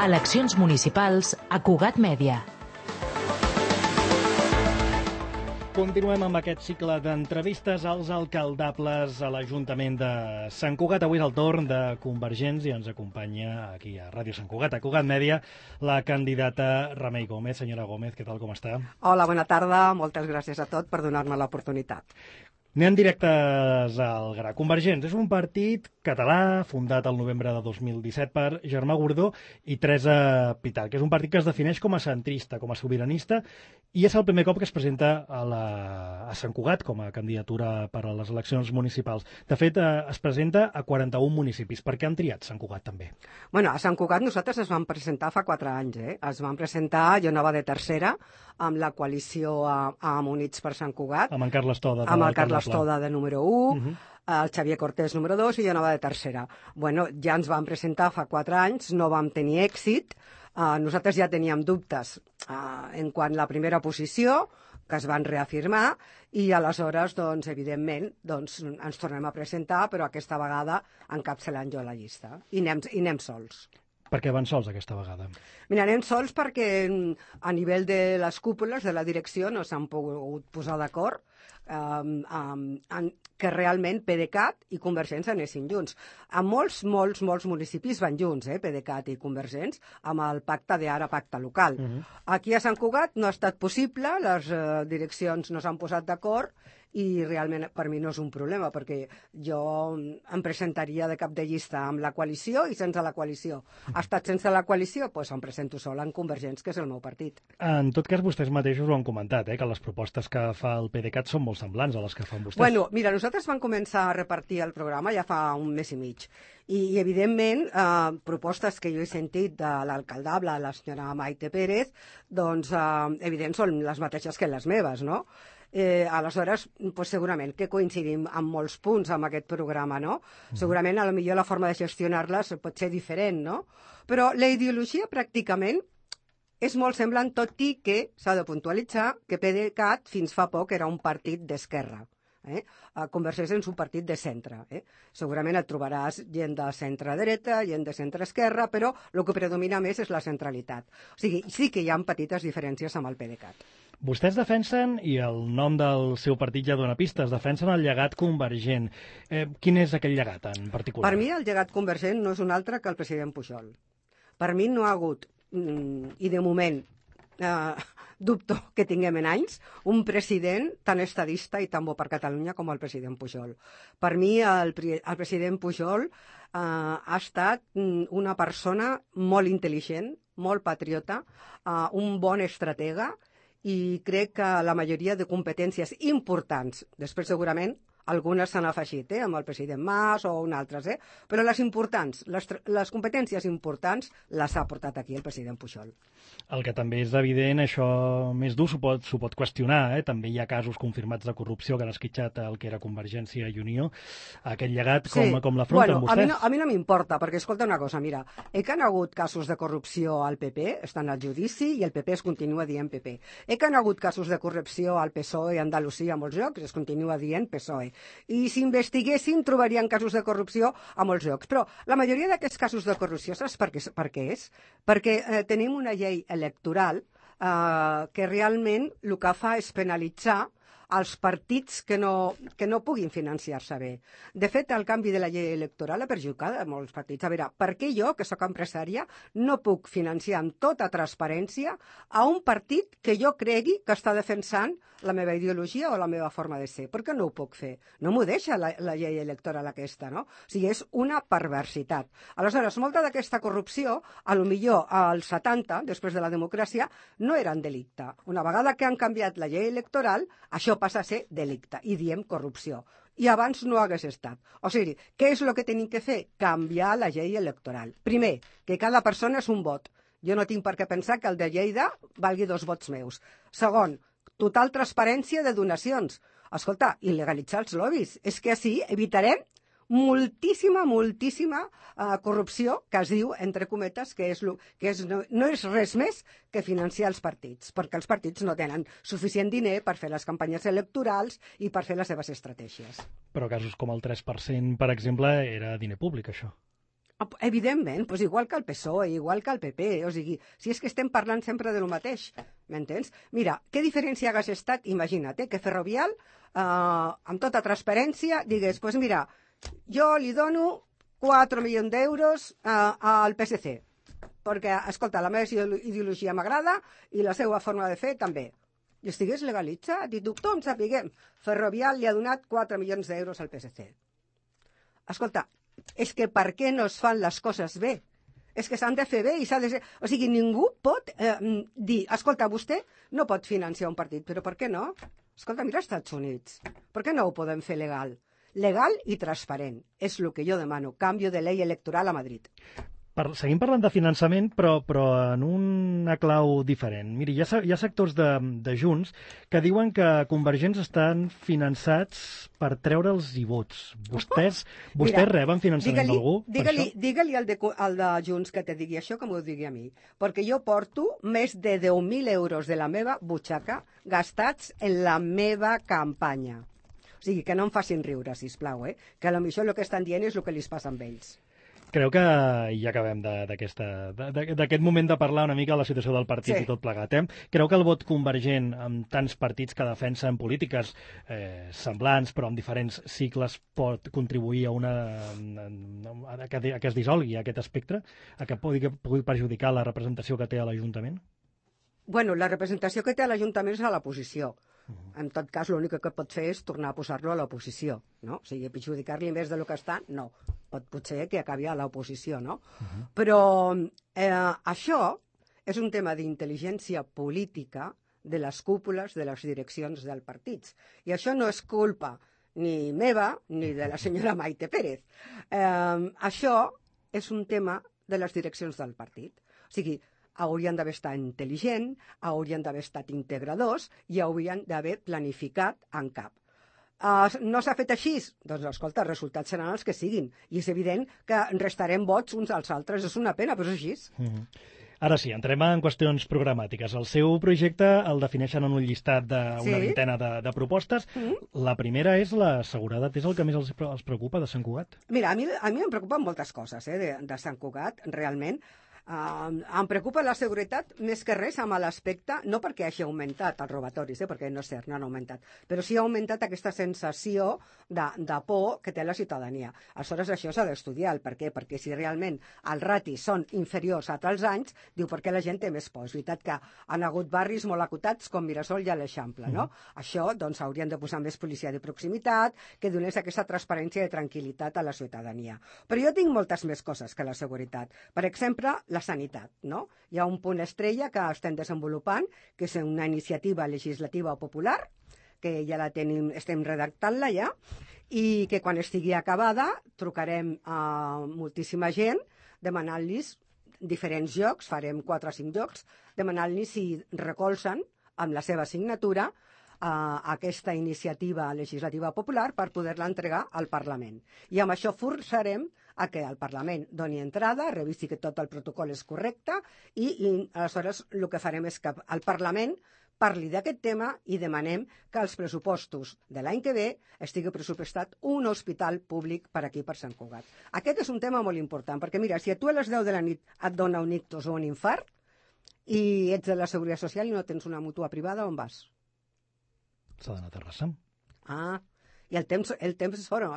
Eleccions municipals a Cugat Mèdia. Continuem amb aquest cicle d'entrevistes als alcaldables a l'Ajuntament de Sant Cugat. Avui és el torn de Convergents i ens acompanya aquí a Ràdio Sant Cugat, a Cugat Mèdia, la candidata Remei Gómez. Senyora Gómez, què tal, com està? Hola, bona tarda. Moltes gràcies a tot per donar-me l'oportunitat. Anem directes al gra. Convergents és un partit català fundat el novembre de 2017 per Germà Gordó i Teresa Pitar, que és un partit que es defineix com a centrista, com a sobiranista, i és el primer cop que es presenta a Sant Cugat com a candidatura per a les eleccions municipals. De fet, es presenta a 41 municipis. Per què han triat Sant Cugat també? Bueno, a Sant Cugat nosaltres ens vam presentar fa 4 anys. Es van presentar, jo anava de tercera, amb la coalició amb Units per Sant Cugat. Amb en Carles Toda. Amb el Carles Toda de número 1, el Xavier Cortés número 2 i jo anava de tercera. Bueno, ja ens vam presentar fa 4 anys, no vam tenir èxit. Nosaltres ja teníem dubtes en quant a la primera posició, que es van reafirmar, i aleshores, doncs, evidentment, ens tornem a presentar, però aquesta vegada encapçalant jo la llista. I anem sols. Per què van sols aquesta vegada? Mira, anem sols perquè a nivell de les cúpules de la direcció no s'han pogut posar d'acord que realment PDeCAT i Convergents anessin junts. A molts municipis van junts, PDeCAT i Convergents, amb el pacte d'ara pacte local. Aquí a Sant Cugat no ha estat possible, les direccions no s'han posat d'acord, i realment per mi no és un problema, perquè jo em presentaria de cap de llista amb la coalició i sense la coalició. Ha estat sense la coalició, doncs em presento sola en Convergents, que és el meu partit. En tot cas, vostès mateixos ho han comentat, que les propostes que fa el PDeCAT són molt semblants a les que fan vostès. Bueno, mira, nosaltres vam començar a repartir el programa ja fa un mes i mig. I evidentment, propostes que jo he sentit de l'alcaldable, la senyora Maite Pérez, doncs, evident, són les mateixes que les meves, no? Aleshores, segurament que coincidim en molts punts amb aquest programa, no? Segurament, potser la forma de gestionar-les pot ser diferent, no? Però la ideologia pràcticament és molt semblant, tot i que s'ha de puntualitzar que PDeCAT fins fa poc era un partit d'esquerra. Convergents és un partit de centre. Segurament et trobaràs gent de centre-dreta, gent de centre-esquerra, però el que predomina més és la centralitat. O sigui, sí que hi ha petites diferències amb el PDeCAT. Vostès defensen, i el nom del seu partit ja dona pistes, defensen el llegat convergent. Quin és aquell llegat en particular? Per mi el llegat convergent no és un altre que el president Pujol. Per mi no ha hagut, i de moment dubto que tinguem en anys, un president tan estadista i tan bo per Catalunya com el president Pujol. Per mi el president Pujol ha estat una persona molt intel·ligent, molt patriota, un bon estratega, i crec que la majoria de competències importants, després segurament algunes s'han afegit, amb el president Mas o altres, però les importants, les competències importants les ha portat aquí el president Pujol. El que també és evident, això més dur s'ho pot qüestionar, també hi ha casos confirmats de corrupció que han esquitxat el que era Convergència i Unió. Aquest llegat, com l'afronten vostès? A mi no m'importa, perquè escolta una cosa, mira, que han hagut casos de corrupció al PP, estan al judici i el PP es continua dient PP. Que han hagut casos de corrupció al PSOE i a Andalusia a molts llocs, es continua dient PSOE. I si investiguessin trobarien casos de corrupció a molts llocs. Però la majoria d'aquests casos de corrupció, saps per què és? Perquè tenim una llei electoral que realment el que fa és penalitzar els partits que no puguin financiar-se bé. De fet, el canvi de la llei electoral ha perjudicat a molts partits. A veure, per què jo, que sóc empresària, no puc financiar amb tota transparència a un partit que jo cregui que està defensant la meva ideologia o la meva forma de ser? Per què no ho puc fer? No m'ho deixa la llei electoral aquesta, no? O sigui, és una perversitat. Aleshores, molta d'aquesta corrupció, potser als 70, després de la democràcia, no eren delicte. Una vegada que han canviat la llei electoral, això passa a ser delicte, i diem corrupció. I abans no hagués estat. O sigui, què és el que tenim que fer? Canviar la llei electoral. Primer, que cada persona és un vot. Jo no tinc per què pensar que el de Lleida valgui 2 vots meus. Segon, total transparència de donacions. Escolta, il·legalitzar els lobbies. És que així evitarem moltíssima corrupció, que es diu, entre cometes, no és res més que financiar els partits, perquè els partits no tenen suficient diner per fer les campanyes electorals i per fer les seves estratègies. Però casos com el 3%, per exemple, era diner públic, això. Evidentment, doncs igual que el PSOE, igual que el PP, o sigui, si és que estem parlant sempre de lo mateix, m'entens? Mira, què diferència hagués estat, imagina't, que Ferrovial, amb tota transparència, digués, doncs mira, jo li dono 4 milions d'euros al PSC, perquè, escolta, la meva ideologia m'agrada i la seva forma de fer també. I estigués legalitzat i tothom sapiguem. Ferrovial li ha donat 4 milions d'euros al PSC. Escolta, és que per què no es fan les coses bé? És que s'han de fer bé i s'ha de ser... O sigui, ningú pot dir, escolta, vostè no pot financiar un partit, però per què no? Escolta, mira els Estats Units. Per què no ho podem fer legal? Legal i transparent. És el que jo demano. Canvio de llei electoral a Madrid. Seguim parlant de finançament, però en una clau diferent. Miri, hi ha sectors de Junts que diuen que Convergents estan finançats per treure'ls i vots. Vostès reben finançament d'algú? Digue-li al de Junts que te digui això que m'ho digui a mi. Perquè jo porto més de 10.000 euros de la meva butxaca gastats en la meva campanya. O sigui, que no em facin riure, sisplau, que potser el que estan dient és el que li passa amb ells. Creu que ja acabem d'aquest moment de parlar una mica de la situació del partit i tot plegat. Creu que el vot convergent amb tants partits que defensen polítiques semblants però amb diferents cicles pot contribuir a que es dissolgui aquest espectre, a que pugui perjudicar la representació que té a l'Ajuntament? Bueno, la representació que té a l'Ajuntament és a l'oposició. En tot cas, l'únic que pot fer és tornar a posar-lo a l'oposició, no? O sigui, perjudicar-li més del que està, no. Pot ser que acabi a l'oposició, no? Però això és un tema d'intel·ligència política de les cúpules de les direccions dels partits. I això no és culpa ni meva ni de la senyora Maite Pérez. Això és un tema de les direccions del partit. O sigui, haurien d'haver estat intel·ligents, haurien d'haver estat integradors i haurien d'haver planificat en cap. No s'ha fet així? Doncs, escolta, els resultats seran els que siguin. I és evident que restarem vots uns als altres. És una pena, però és així. Ara sí, entrem en qüestions programàtiques. El seu projecte el defineixen en un llistat d'una vintena de propostes. La primera és la seguretat. És el que més els preocupa de Sant Cugat? Mira, a mi em preocupen moltes coses de Sant Cugat, realment. Em preocupa la seguretat més que res amb l'aspecte, no perquè hagi augmentat els robatoris, perquè no és cert, no han augmentat, però sí ha augmentat aquesta sensació de por que té la ciutadania. Aleshores, això s'ha d'estudiar, el per què, perquè si realment els ratis són inferiors a altres anys, diu per què la gent té més por. És veritat que han hagut barris molt acotats com Mirasol i l'Eixample, no? Això, doncs, haurien de posar més policia de proximitat, que donés aquesta transparència i tranquil·litat a la ciutadania. Però jo tinc moltes més coses que la seguretat. Per exemple, la sanitat, no? Hi ha un punt estrella que estem desenvolupant, que és una iniciativa legislativa popular, que ja la tenim, estem redactant-la ja, i que quan estigui acabada trucarem a moltíssima gent demanant-los diferents llocs, farem 4 o 5 llocs, demanant-los si recolzen amb la seva signatura aquesta iniciativa legislativa popular per poder-la entregar al Parlament. I amb això forçarem a que el Parlament doni entrada, revisi que tot el protocol és correcte i aleshores el que farem és que el Parlament parli d'aquest tema i demanem que els pressupostos de l'any que ve estigui pressupostat un hospital públic per aquí, per Sant Cugat. Aquest és un tema molt important, perquè mira, si a tu a les 10 de la nit et dona un ictus o un infart i ets de la Seguretat Social i no tens una mútua privada, on vas? S'ha d'anar a Terrassa. I el temps és fora,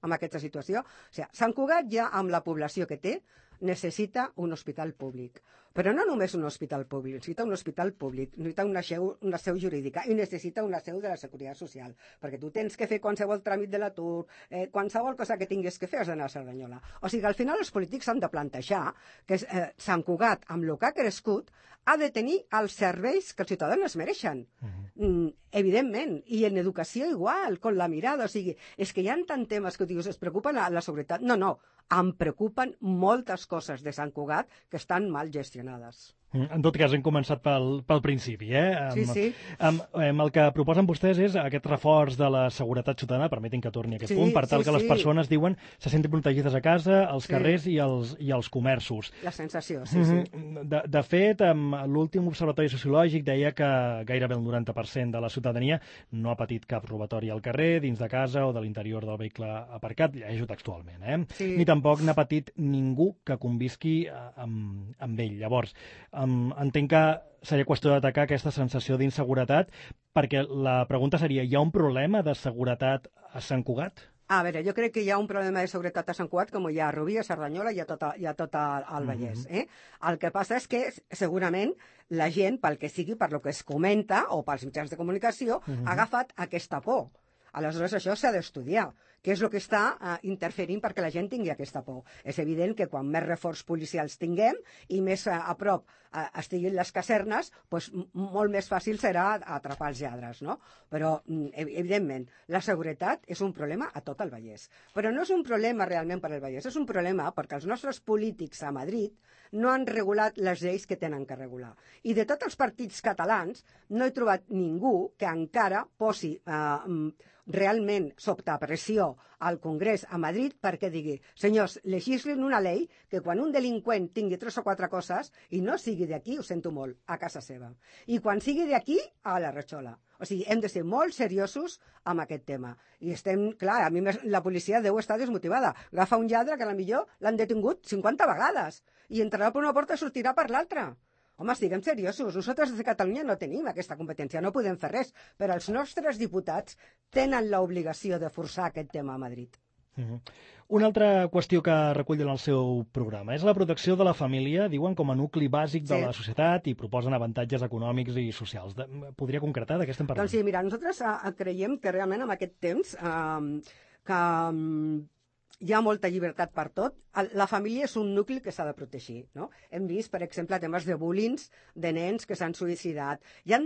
amb aquesta situació. O sigui, Sant Cugat ja, amb la població que té, necessita un hospital públic. Però no només un hospital públic, necessita un hospital públic, necessita una seu jurídica i necessita una seu de la Seguretat Social, perquè tu tens que fer qualsevol tràmit de l'atur, qualsevol cosa que tinguis que fer has d'anar a Cerdanyola. O sigui, al final els polítics han de plantejar que Sant Cugat, amb el que ha crescut, ha de tenir els serveis que els ciutadans es mereixen. Evidentment. I en educació igual, con la mirada. O sigui, és que hi ha tant temes que dius, es preocupa la seguretat. No, em preocupen moltes coses de Sant Cugat que estan mal gestionades. En tot cas, hem començat pel principi. Sí. El que proposen vostès és aquest reforç de la seguretat ciutadana, permetin que torni a aquest punt, per tal que les persones, diuen, se sentin protegides a casa, als carrers i als comerços. La sensació, sí. De fet, l'últim observatori sociològic deia que gairebé el 90% de la ciutadania no ha patit cap robatori al carrer, dins de casa o de l'interior del vehicle aparcat, llegeixo textualment, Sí. ni tampoc tampoc n'ha patit ningú que convisqui amb ell. Llavors, entenc que seria qüestió d'atacar aquesta sensació d'inseguretat, perquè la pregunta seria, hi ha un problema de seguretat a Sant Cugat? A veure, jo crec que hi ha un problema de seguretat a Sant Cugat com hi ha a Rubí, a Cerdanyola i a tot el Vallès. El que passa és que segurament la gent, pel que sigui, per lo que es comenta, o pels mitjans de comunicació, ha agafat aquesta por. Aleshores, això s'ha d'estudiar. Què és el que està interferint perquè la gent tingui aquesta por? És evident que quan més reforç policials tinguem i més a prop estiguin les casernes, doncs molt més fàcil serà atrapar els lladres, no? Però, evidentment, la seguretat és un problema a tot el Vallès. Però no és un problema realment per al Vallès, és un problema perquè els nostres polítics a Madrid no han regulat les lleis que tenen que regular. I de tots els partits catalans no he trobat ningú que encara posi realment sota pressió al Congrés a Madrid perquè digui, senyors, legislin una llei que quan un delinqüent tingui 3 o 4 coses i no sigui d'aquí, ho sento molt, a casa seva. I quan sigui d'aquí, a la ratxola. O sigui, hem de ser molt seriosos amb aquest tema. I estem, clar, a mi la policia deu estar desmotivada. Agafa un lladre que potser l'han detingut 50 vegades i entrarà per una porta i sortirà per l'altra. Home, siguem seriosos. Nosaltres des de Catalunya no tenim aquesta competència, no podem fer res, però els nostres diputats tenen l'obligació de forçar aquest tema a Madrid. Una altra qüestió que recull en el seu programa és la protecció de la família, diuen, com a nucli bàsic de la societat i proposen avantatges econòmics i socials. Podria concretar de què estem parlant? Doncs sí, mira, nosaltres creiem que realment en aquest temps que hi ha molta llibertat per tot. La família és un nucli que s'ha de protegir, no? Hem vist, per exemple, temes de bullying de nens que s'han suïcidat. Hi ha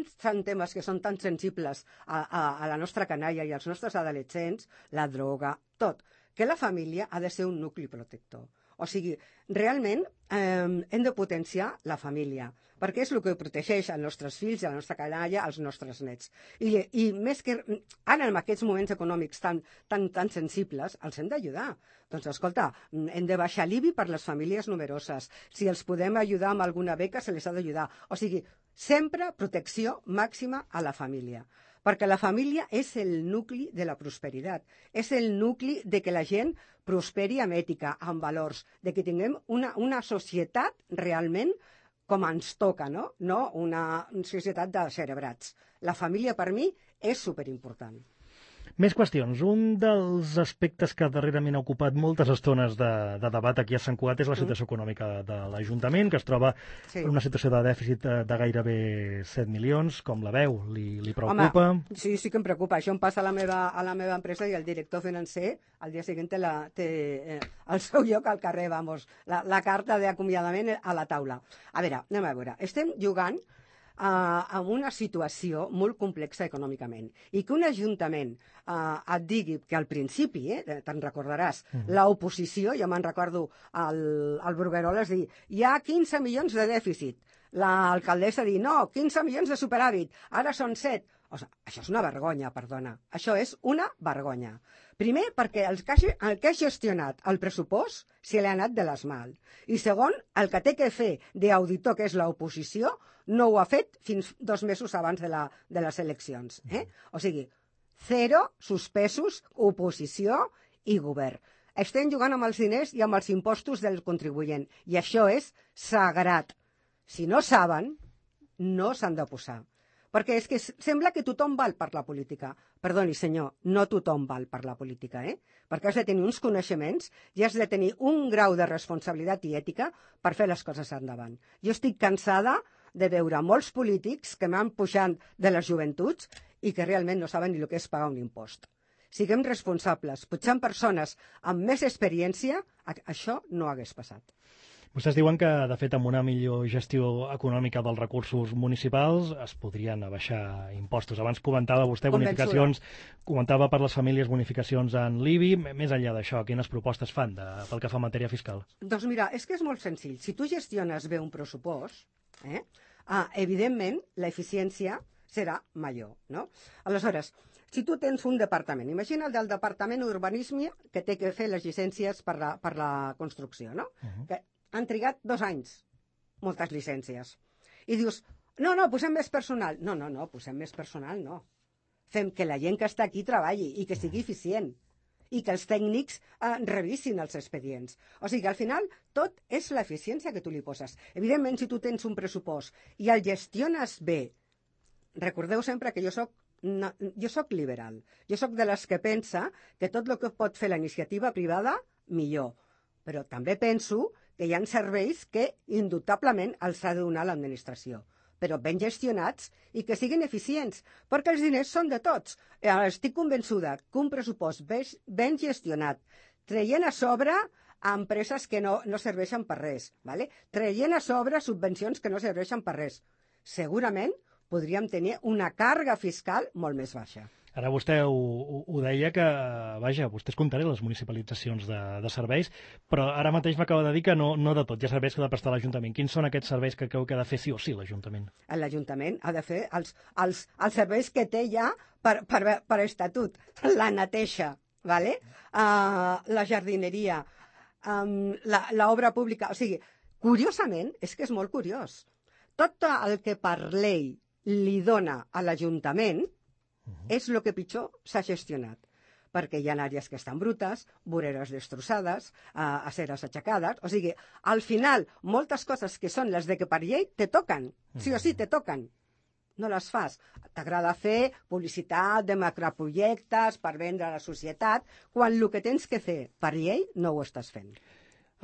temes que són tan sensibles a la nostra canalla i als nostres adolescents, la droga, tot, que la família ha de ser un nucli protector. O sigui, realment hem de potenciar la família, perquè és el que protegeix els nostres fills, la nostra canalla, els nostres nets. I més que ara, en aquests moments econòmics tan sensibles, els hem d'ajudar. Doncs, escolta, hem de baixar l'IBI per les famílies numeroses. Si els podem ajudar amb alguna beca, se les ha d'ajudar. O sigui, sempre protecció màxima a la família. Perquè la família és el nucli de la prosperitat, és el nucli de que la gent prosperi amb ètica, amb valors, de que tinguem una societat realment com ens toca, no? No una societat de cerebrats. La família, per mi, és superimportant. Més qüestions. Un dels aspectes que darrerament ha ocupat moltes estones de debat aquí a Sant Cugat és la situació econòmica de l'Ajuntament, que es troba en una situació de dèficit de gairebé 7 milions. Com la veu? Li preocupa? Home, sí que em preocupa. Això em passa a la meva empresa i el director financer al dia següent té el seu lloc al carrer, vamos, la carta d'acomiadament a la taula. A veure, estem jugant amb una situació molt complexa econòmicament i que un ajuntament et digui que al principi, te'n recordaràs, l'oposició, jo me'n recordo el Brugueroles dir, hi ha 15 milions de dèficit, l'alcaldessa dir, no, 15 milions de superàvit, ara són 7. O sigui, això és una vergonya, perdona, això és una vergonya. Primer, perquè el que ha gestionat el pressupost se li ha anat de les mans. I segon, el que té que fer d'auditor, que és l'oposició, no ho ha fet fins 2 mesos abans de les eleccions. O sigui, 0, suspesos, oposició i govern. Estem jugant amb els diners i amb els impostos del contribuent. I això és sagrat. Si no saben, no s'han de posar. Perquè és que sembla que tothom val per la política. Perdoni, senyor, no tothom val per la política, Perquè has de tenir uns coneixements i has de tenir un grau de responsabilitat i ètica per fer les coses endavant. Jo estic cansada de veure molts polítics que m'han pujat de les joventuts i que realment no saben ni el que és pagar un impost. Siguem responsables, pujant persones amb més experiència, això no hagués passat. Vostès diuen que, de fet, amb una millor gestió econòmica dels recursos municipals es podrien abaixar impostos. Abans comentava vostè bonificacions, comentava per les famílies bonificacions en l'IBI. Més enllà d'això, quines propostes fan pel que fa a matèria fiscal? Doncs mira, és que és molt senzill. Si tu gestiones bé un pressupost, evidentment l'eficiència serà major, no? Aleshores, si tu tens un departament, imagina el del Departament d'Urbanisme que té que fer les llicències per la construcció, no? Que han trigat 2 anys, moltes llicències. I dius, no, posem més personal. No, posem més personal, no. Fem que la gent que està aquí treballi i que sigui eficient. i que els tècnics revisin els expedients. O sigui que al final tot és l'eficiència que tu li poses. Evidentment, si tu tens un pressupost i el gestiones bé, recordeu sempre que jo soc liberal. Jo soc de les que pensa que tot el que pot fer la iniciativa privada, millor. Però també penso que hi ha serveis que indubtablement els ha de donar l'administració, però ben gestionats i que siguin eficients, perquè els diners són de tots. Estic convençuda que un pressupost ben gestionat, traient a sobre a empreses que no serveixen per res, ¿vale? Traient a sobre subvencions que no serveixen per res, segurament podríem tenir una càrrega fiscal molt més baixa. Ara vostè ho deia que, vaja, vostès comptaré les municipalitzacions de serveis, però ara mateix m'acaba de dir que no de tot, hi ha serveis que ha de prestar l'Ajuntament. Quins són aquests serveis que creu que ha de fer sí o sí l'Ajuntament? L'Ajuntament ha de fer els serveis que té ja per estatut. La neteja, ¿vale? La jardineria, l'obra pública. O sigui, curiosament, és que és molt curiós. Tot el que per llei li dona a l'Ajuntament és el que pitjor s'ha gestionat, perquè hi ha àrees que estan brutes, voreres destrossades, aceres aixecades, o sigui, al final, moltes coses que són les de que per llei te toquen, sí o sí te toquen, no les fas. T'agrada fer publicitat de macroprojectes per vendre a la societat, quan el que tens que fer per llei no ho estàs fent.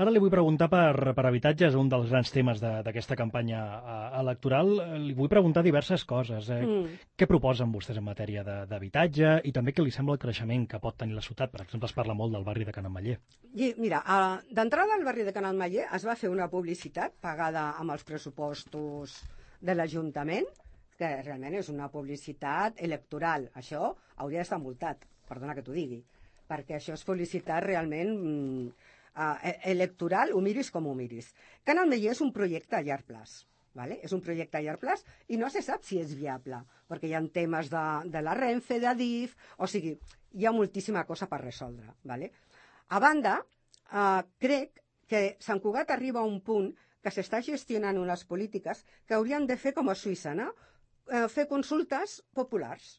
Ara li vull preguntar per habitatge, és un dels grans temes d'aquesta campanya electoral. Li vull preguntar diverses coses. Què proposen vostès en matèria d'habitatge i també què li sembla el creixement que pot tenir la ciutat? Per exemple, es parla molt del barri de Can Ametller. Mira, d'entrada al barri de Can Ametller es va fer una publicitat pagada amb els pressupostos de l'Ajuntament, que realment és una publicitat electoral. Això hauria d'estar multat, perdona que t'ho digui, perquè això és publicitat realment electoral, ho miris com ho miris. Can Ametller és un projecte a llarg plaç, ¿vale? És un projecte a llarg plaç i no se sap si és viable, perquè hi ha temes de la Renfe, d'Adif, o sigui, hi ha moltíssima cosa per resoldre, ¿vale? A banda, crec que Sant Cugat arriba a un punt que s'està gestionant unes polítiques que haurien de fer com a Suïssa, no? Fer consultes populars.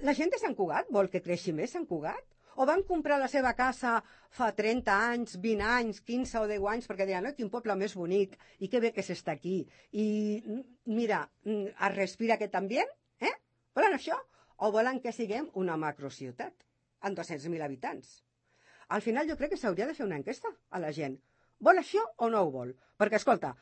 La gent de Sant Cugat vol que creixi més Sant Cugat? O van comprar la seva casa fa 30 anys, 20 anys, 15 o 10 anys, perquè deien, quin poble més bonic, i que bé que s'està aquí. I mira, es respira aquest ambient, Volen això? O volen que siguem una macrociutat amb 200.000 habitants? Al final jo crec que s'hauria de fer una enquesta a la gent. Vol això o no ho vol? Perquè, escolta,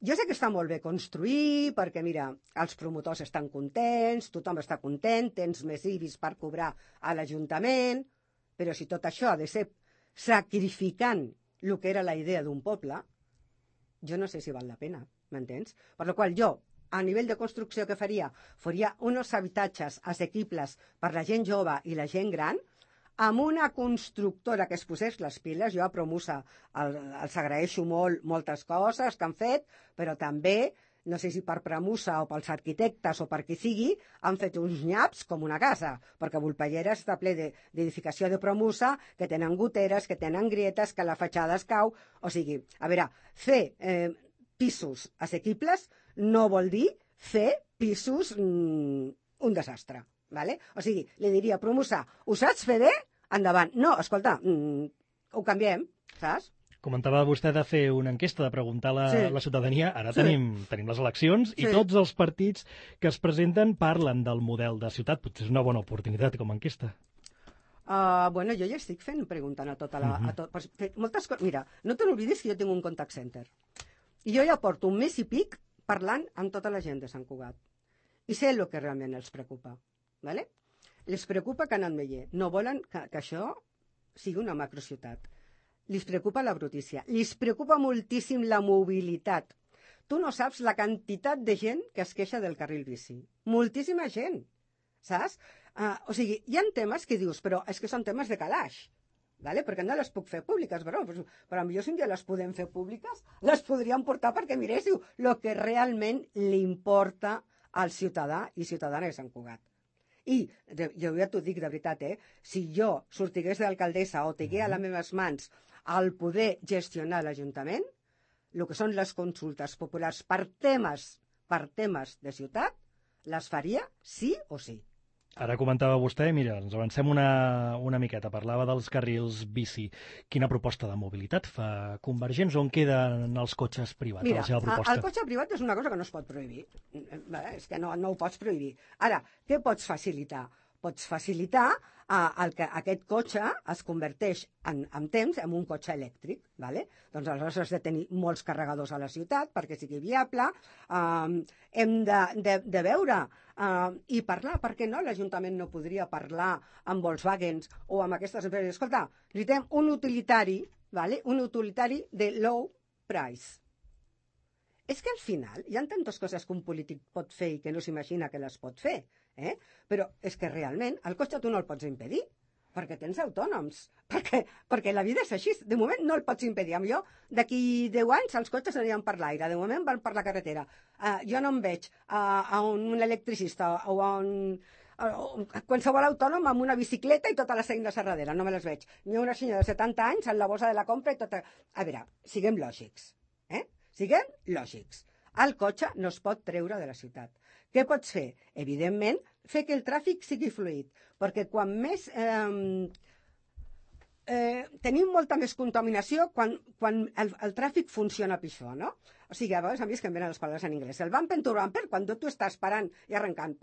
jo sé que està molt bé construir, perquè, mira, els promotors estan contents, tothom està content, tens més IBIs per cobrar a l'Ajuntament, però si tot això ha de ser sacrificant el que era la idea d'un poble, jo no sé si val la pena, m'entens? Per la qual jo, a nivell de construcció que faria uns habitatges assequibles per la gent jove i la gent gran, amb una constructora que es posés les piles. Jo a Promusa els agraeixo molt moltes coses que han fet, però també, no sé si per Promusa o pels arquitectes o per qui sigui, han fet uns nyaps com una casa, perquè Volpellera està ple d'edificació de Promusa, que tenen goteres, que tenen grietes, que la fatxada es cau. O sigui, a veure, fer pisos assequibles no vol dir fer pisos un desastre, ¿vale? O sigui, li diria, Promusa, ho saps fer bé? Endavant. No, escolta, ho canviem, saps? Comentava vostè de fer una enquesta, de preguntar a la ciutadania. Ara tenim les eleccions i tots els partits que es presenten parlen del model de ciutat. Potser és una bona oportunitat com a enquesta. Bueno, jo ja estic preguntant a tota la... moltes coses. Mira, no te n'oblidis que jo tinc un contact center. I jo ja porto un mes i pic parlant amb tota la gent de Sant Cugat. I sé el que realment els preocupa. ¿Vale? Les preocupa Can Ametller. No volen que això sigui una macrociutat. Li preocupa la brutícia, li preocupa moltíssim la mobilitat. Tu no saps la quantitat de gent que es queixa del carril bici. Moltíssima gent, saps? O sigui, hi ha temes que dius, però és que són temes de calaix, ¿vale? Perquè no les puc fer públiques, però potser si un dia les podem fer públiques, les podríem portar perquè miréssiu el que realment li importa al ciutadà i ciutadana de Sant Cugat. I jo ja t'ho dic de veritat, si jo sortigués d'alcaldessa o tingués a les meves mans el poder gestionar l'Ajuntament, el que són les consultes populars per temes de ciutat, les faria sí o sí. Ara comentava vostè, mira, ens avancem una miqueta, parlava dels carrils bici. Quina proposta de mobilitat fa Convergents? On queden els cotxes privats, Mira, la seva proposta? el cotxe privat és una cosa que no es pot prohibir. És que no ho pots prohibir. Ara, què pots facilitar? Pots facilitar que aquest cotxe es converteix en temps en un cotxe elèctric. ¿Vale? Doncs aleshores has de tenir molts carregadors a la ciutat perquè sigui viable. Hem de veure i parlar. Per què no? L'Ajuntament no podria parlar amb Volkswagen o amb aquestes empreses. Escolta, necessitem un utilitari, ¿vale? Un utilitari de low price. És que al final hi ha tantes coses que un polític pot fer i que no s'imagina que les pot fer, però és que realment el cotxe tu no el pots impedir, perquè tens autònoms, perquè la vida és així. De moment no el pots impedir. Jo, d'aquí 10 anys els cotxes aniran per l'aire, de moment van per la carretera. Jo no em veig a un electricista o a qualsevol autònom amb una bicicleta i totes les eines a darrere, no me les veig. Ni una senyora de 70 anys en la bossa de la compra i tot. A veure, siguem lògics, Siguem lògics. El cotxe no es pot treure de la ciutat. Què pots fer? Evidentment, fer que el tràfic sigui fluid, perquè quan més... tenim molta més contaminació quan el tràfic funciona pitjor, no? O sigui, a vegades a mi és que em venen les paraules en anglès. El bumper to bumper, quan tu estàs parant i arrencant,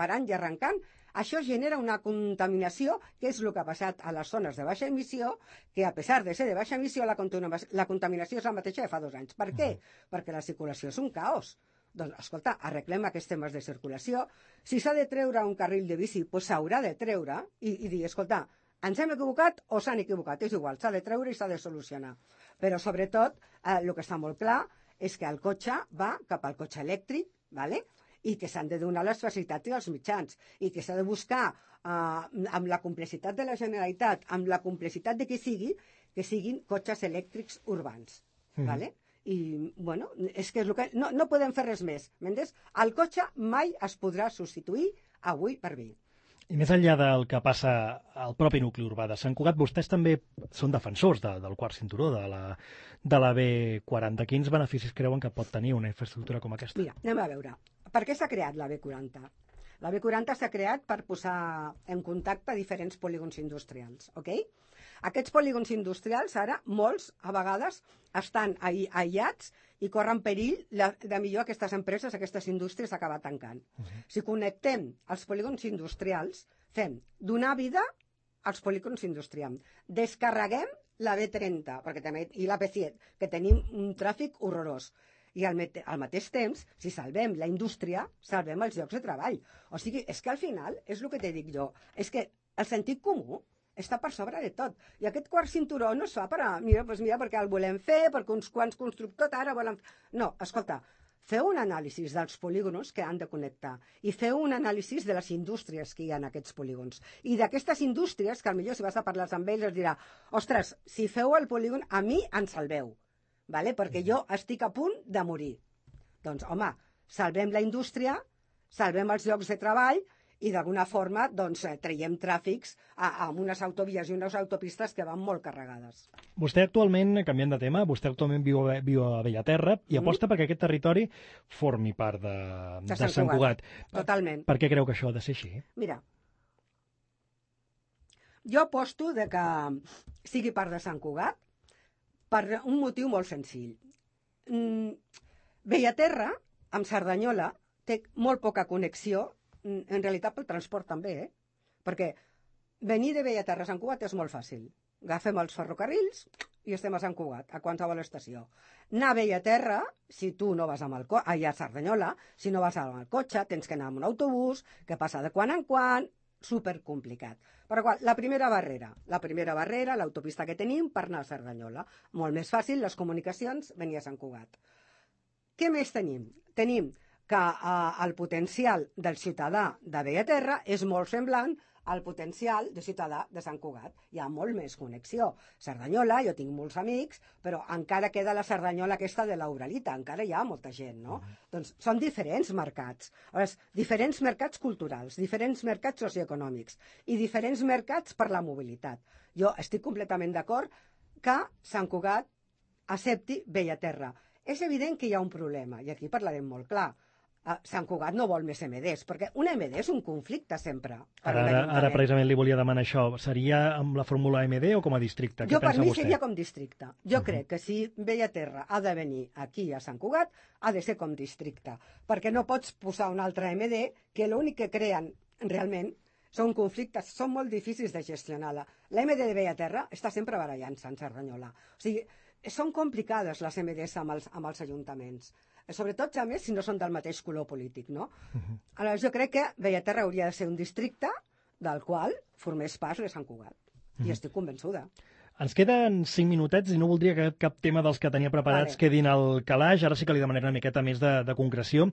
això genera una contaminació, que és el que ha passat a les zones de baixa emissió, que a pesar de ser de baixa emissió, la contaminació és la mateixa de fa 2 anys. Per què? Perquè la circulació és un caos. Doncs, escolta, arreglem aquests temes de circulació. Si s'ha de treure un carril de bici, doncs s'haurà de treure i dir, escolta, ens hem equivocat o s'han equivocat? És igual, s'ha de treure i s'ha de solucionar. Però, sobretot, el que està molt clar és que el cotxe va cap al cotxe elèctric, ¿vale? I que s'han de donar les facilitats i els mitjans, i que s'ha de buscar, amb la complexitat de la Generalitat, amb la complexitat de que siguin cotxes elèctrics urbans. ¿Vale? I, bueno, és que és el que... No podem fer res més. M'entens? El cotxe mai es podrà substituir avui per vi. I més enllà del que passa al propi nucli urbà de Sant Cugat, vostès també són defensors del quart cinturó, de la B40. Quins beneficis creuen que pot tenir una infraestructura com aquesta? Mira, anem a veure. Per què s'ha creat la B40? La B40 s'ha creat per posar en contacte diferents polígons industrials, ok? Aquests polígons industrials ara, molts, a vegades, estan aïllats i corren perill de millor aquestes empreses, aquestes indústries acabar tancant. Si connectem els polígons industrials, fem donar vida als polígons industrials. Descarreguem la B30 i la B7, que tenim un tràfic horrorós. I al mateix temps, si salvem la indústria, salvem els llocs de treball. O sigui, és que al final, és el que te dic jo, és que el sentit comú està per sobre de tot. I aquest quart cinturó no es fa mira, perquè el volem fer, perquè uns quants constructors ara volen... No, escolta, feu un anàlisi dels polígons que han de connectar i feu un anàlisi de les indústries que hi ha en aquests polígons. I d'aquestes indústries, que potser si vas a parlar amb ells, es dirà, ostres, si feu el polígon, a mi en salveu. ¿Vale? Perquè jo estic a punt de morir. Doncs, home, salvem la indústria, salvem els llocs de treball i d'alguna forma doncs, traiem tràfics amb unes autovies i unes autopistes que van molt carregades. Vostè actualment, canviant de tema, viu a Bellaterra i aposta perquè aquest territori formi part de Sant Cugat. Totalment. Per què creu que això ha de ser així? Mira, jo aposto que sigui part de Sant Cugat per un motiu molt senzill. Bellaterra, amb Cerdanyola, té molt poca connexió, en realitat pel transport també, perquè venir de Bellaterra a Sant Cugat és molt fàcil. Agafem els ferrocarrils i estem a Sant Cugat, a qualsevol estació. Anar a Bellaterra, si tu no vas amb el cotxe, a Cerdanyola, si no vas amb el cotxe, tens que anar amb un autobús, que passa de quan en quan, supercomplicat. Però la primera barrera, l'autopista que tenim per anar a Cerdanyola. Molt més fàcil, les comunicacions, venir a Sant Cugat. Què més tenim? Tenim que el potencial del ciutadà de Bellaterra és molt semblant al potencial de ciutadà de Sant Cugat. Hi ha molt més connexió. Cerdanyola, jo tinc molts amics, però encara queda la Cerdanyola aquesta de l'Uralita, encara hi ha molta gent, no? Doncs són diferents mercats. Diferents mercats culturals, diferents mercats socioeconòmics i diferents mercats per la mobilitat. Jo estic completament d'acord que Sant Cugat accepti Bellaterra. És evident que hi ha un problema, i aquí parlarem molt clar. Sant Cugat no vol més MDs, perquè un MD és un conflicte sempre. Ara precisament li volia demanar això. Seria amb la fórmula MD o com a districte? Jo, per mi, vostè? seria com districte. Jo crec que si Bellaterra ha de venir aquí a Sant Cugat, ha de ser com districte, perquè no pots posar un altre MD que l'únic que creen realment són conflictes, són molt difícils de gestionar. La MD de Bellaterra està sempre barallant-se en Cerdanyola. O sigui, són complicades les MDs amb els ajuntaments. Sobretot, a més, si no són del mateix color polític, no? Aleshores, jo crec que Bellaterra hauria de ser un districte del qual formés part de Sant Cugat. I estic convençuda. Ens queden 5 minutets i no voldria que cap tema dels que tenia preparats quedin al calaix. Ara sí que li demanaré una miqueta més de concreció.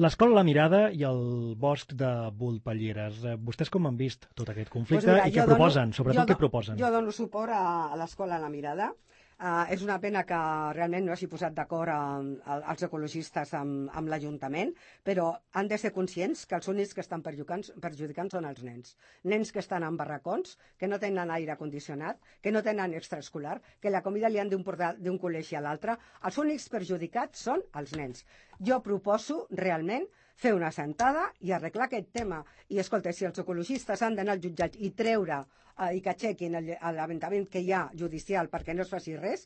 L'escola La Mirada i el bosc de Volpelleres. Vostès com han vist tot aquest conflicte i què proposen? Sobretot què proposen? Jo dono suport a l'escola La Mirada. És una pena que realment no hagi posat d'acord els ecologistes amb l'Ajuntament, però han de ser conscients que els únics que estan perjudicant són els nens. Nens que estan en barracons, que no tenen aire condicionat, que no tenen extraescolar, que la comida li han d'emportar d'un col·legi a l'altre. Els únics perjudicats són els nens. Jo proposo realment fer una sentada i arreglar aquest tema. I, escolta, si els ecologistes han d'anar al jutjat i treure i que aixequin l'aventament que hi ha judicial perquè no es faci res,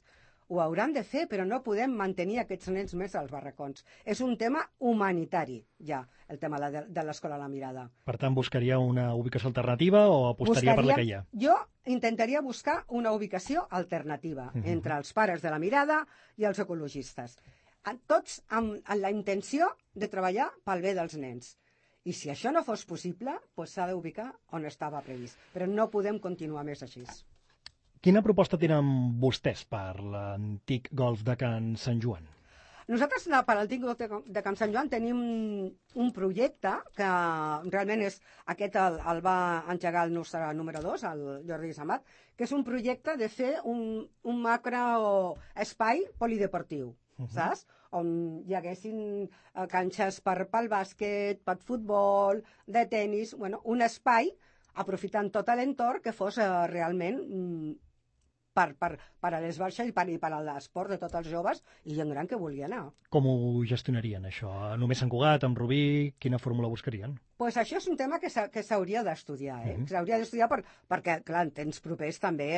ho hauran de fer, però no podem mantenir aquests nens més als barracons. És un tema humanitari, ja, el tema de l'escola La Mirada. Per tant, buscaria una ubicació alternativa o apostaria per la que hi ha? Jo intentaria buscar una ubicació alternativa entre els pares de La Mirada i els ecologistes. Tots amb la intenció de treballar pel bé dels nens. I si això no fos possible, doncs s'ha d'ubicar on estava previst. Però no podem continuar més així. Quina proposta tenen vostès per l'antic golf de Can Sant Joan? Nosaltres, per l'antic golf de Can Sant Joan, tenim un projecte que realment és aquest el va engegar el nostre número 2, el Jordi Samat, que és un projecte de fer un macro espai polideportiu. Saps? On hi haguessin canxes pel bàsquet, per futbol, de tennis, un espai, aprofitant tot l'entorn que fos realment per a les baixes i per a l'esport de tots els joves i gent gran que vulgui anar. Com ho gestionarien, això? Només Sant Cugat, amb Rubí, quina fórmula buscarien? Doncs això és un tema que s'hauria d'estudiar, S'hauria d'estudiar perquè, clar, en temps propers també...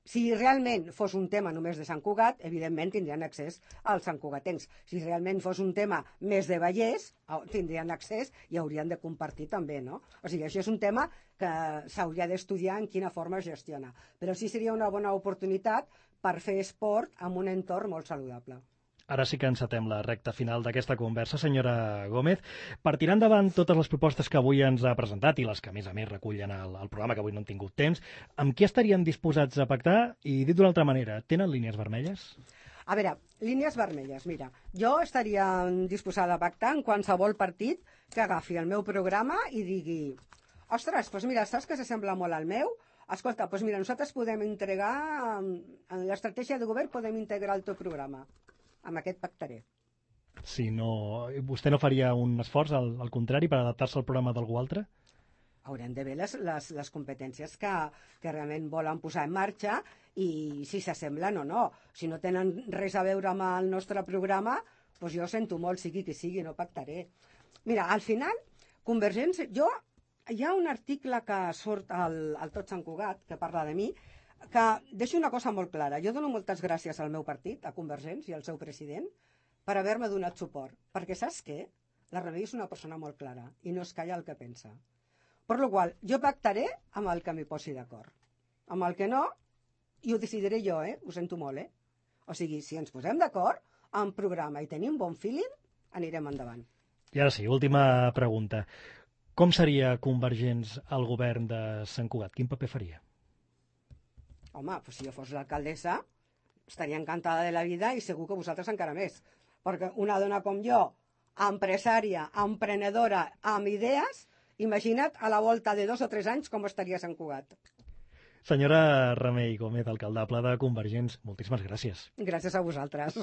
Si realment fos un tema només de Sant Cugat, evidentment tindrien accés als santcugatencs. Si realment fos un tema més de Vallès, tindrien accés i haurien de compartir també, no? O sigui, això és un tema que s'hauria d'estudiar en quina forma es gestiona. Però sí seria una bona oportunitat per fer esport en un entorn molt saludable. Ara sí que encetem la recta final d'aquesta conversa, senyora Gómez. Per tirar endavant totes les propostes que avui ens ha presentat i les que, a més recullen el programa, que avui no han tingut temps, amb qui estarien disposats a pactar? I dit d'una altra manera, tenen línies vermelles? A veure, línies vermelles, mira, jo estaria disposada a pactar en qualsevol partit que agafi el meu programa i digui ostres, doncs mira, saps que s'assembla molt al meu? Escolta, doncs mira, nosaltres podem integrar, en l'estratègia de govern podem integrar el teu programa. Amb aquest pactaré. Si no, vostè no faria un esforç, al contrari, per adaptar-se al programa d'algú altre? Haurem de veure les competències que realment volen posar en marxa i si s'assemblen o no. Si no tenen res a veure amb el nostre programa, doncs jo sento molt, sigui qui sigui, no pactaré. Mira, al final, Convergència... Hi ha un article que surt al Tot Sant Cugat, que parla de mi, que deixo una cosa molt clara. Jo dono moltes gràcies al meu partit, a Convergents i al seu president, per haver-me donat suport. Perquè saps què? La Remei és una persona molt clara i no es calla el que pensa. Per la qual jo pactaré amb el que m'hi posi d'acord. Amb el que no, i ho decidiré jo, Ho sento molt, O sigui, si ens posem d'acord, en programa i tenim bon feeling, anirem endavant. I ara sí, última pregunta. Com seria Convergents al govern de Sant Cugat? Quin paper faria? Home, doncs si jo fos l'alcaldessa, estaria encantada de la vida i segur que vosaltres encara més. Perquè una dona com jo, empresària, emprenedora, amb idees, imagina't a la volta de 2 o 3 anys com estaria Sant Cugat. Senyora Remei Gómez, alcaldable de Convergents, moltíssimes gràcies. Gràcies a vosaltres.